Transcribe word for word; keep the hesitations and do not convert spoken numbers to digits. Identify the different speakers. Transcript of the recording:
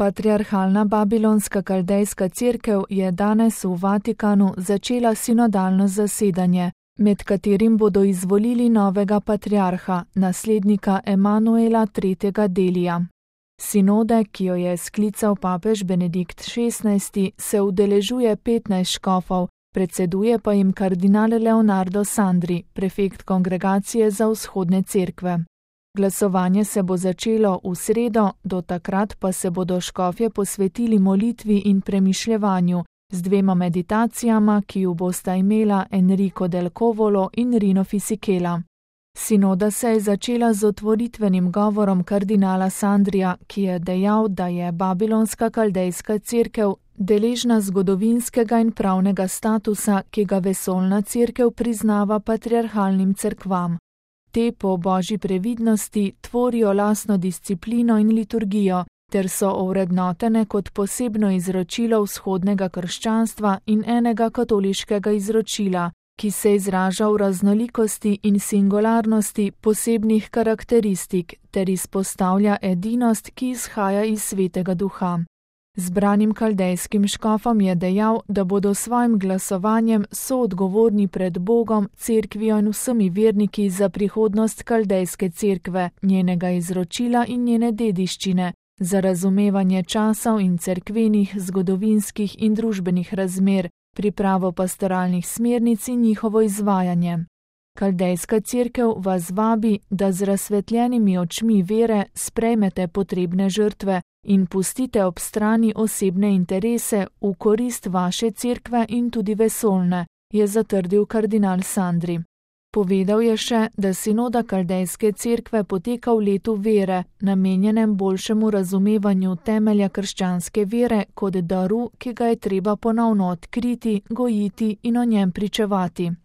Speaker 1: Patriarhalna babilonska kaldejska cerkev je danes v Vatikanu začela sinodalno zasedanje, med katerim bodo izvolili novega patriarha, naslednika Emanuela tretjega Delija. Sinode, ki jo je sklical papež Benedikt šestnajsti, se udeležuje petnajst škofov, predseduje pa jim kardinal Leonardo Sandri, prefekt Kongregacije za vzhodne cerkve. Glasovanje se bo začelo v sredo, do takrat pa se bodo škofje posvetili molitvi in premišljevanju z dvema meditacijama, ki ju bosta imela Enrico del Covolo in Rino Fisichella. Sinoda se je začela z otvoritvenim govorom kardinala Sandrija, ki je dejal, da je babilonska kaldejska cerkev deležna zgodovinskega in pravnega statusa, ki ga vesoljna cerkev priznava patriarhalnim cerkvam. Te po božji previdnosti tvorijo lastno disciplino in liturgijo, ter so ovrednotene kot posebno izročilo vzhodnega krščanstva in enega katoliškega izročila, ki se izraža v raznolikosti in singularnosti posebnih karakteristik ter izpostavlja edinost, ki izhaja iz Svetega Duha. Zbranim kaldejskim škofom je dejal, da bodo svojim glasovanjem soodgovorni pred Bogom, cerkvijo in vsemi verniki za prihodnost kaldejske cerkve, njenega izročila in njene dediščine, za razumevanje časov in cerkvenih, zgodovinskih in družbenih razmer, pripravo pastoralnih smernic in njihovo izvajanje. Kaldejska cerkev vas vabi, da z razsvetljenimi očmi vere sprejmete potrebne žrtve in pustite ob strani osebne interese v korist vaše cerkve in tudi vesoljne, je zatrdil kardinal Sandri. Povedal je še, da sinoda kaldejske cerkve poteka v letu vere, namenjenem boljšemu razumevanju temelja krščanske vere kot daru, ki ga je treba ponovno odkriti, gojiti in o njem pričevati.